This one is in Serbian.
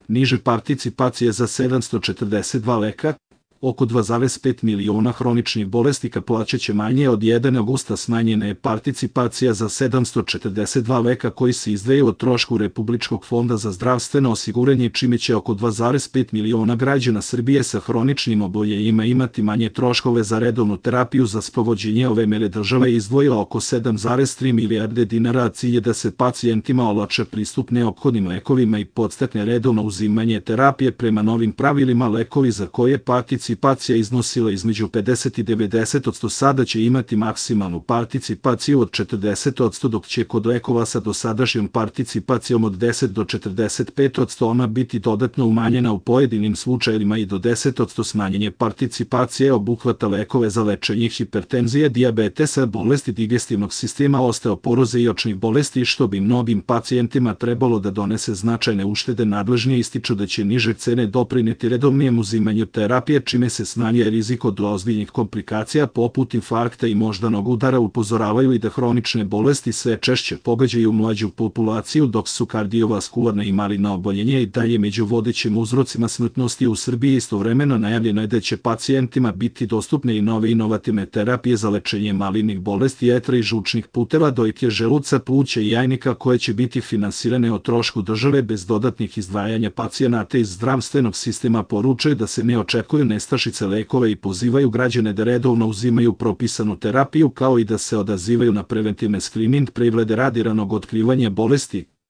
niže participacije za 742 leka, oko 2,5 miliona hroničnih bolesnika plaćaće manje. Od 1. augusta smanjena je participacija za 742 leka koji se izdvajaju od trošku Republičkog fonda za zdravstveno osiguranje, čime će oko 2,5 miliona građana Srbije sa hroničnim oboljenjima imati manje troškove za redovnu terapiju. Za sprovođenje ove mere država je izdvojila oko 7,3 milijarde dinara, a cilj je da se pacijentima olakša pristup neophodnim lekovima i podstakne redovno uzimanje terapije. Prema novim pravilima, lekovi za koje participacija iznosila između 50 i 90% sada će imati maksimalnu participaciju od 40%, dok će kod lekova sa dosadašnjom participacijom od 10 do 45% ona biti dodatno umanjena u pojedinim slučajevima i do 10%. Smanjenje participacije obuhvata lekove za lečenje hipertenzije, dijabetesa, bolesti digestivnog sistema, osteoporoze i očnih bolesti, što bi mnogim pacijentima trebalo da donese značajne uštede. Nadležni ističu da će niže cene doprineti redovnijem uzimanju terapije, čime se smanjuje rizik od ozbiljnih komplikacija poput infarkta i moždanog udara. Upozoravaju i da hronične bolesti sve češće pogađaju mlađu populaciju, dok su kardiovaskularne i maligna oboljenja i dalje među vodećim uzrocima smrtnosti u Srbiji. Istovremeno najavljeno je da će pacijentima biti dostupne i nove inovativne terapije za lečenje malignih bolesti jetre i žučnih puteva, dojke želuca, pluća i jajnika, koje će biti finansirane o trošku države bez dodatnih izdvajanja pacijenata iz zdravstvenog sistema. Poručuju da se ne očekuju nestašice lekova i pozivaju građane da redovno uzimaju propisanu terapiju, kao i da se odazivaju na preventivne skrining preglede radi ranog otkrivanja bolesti.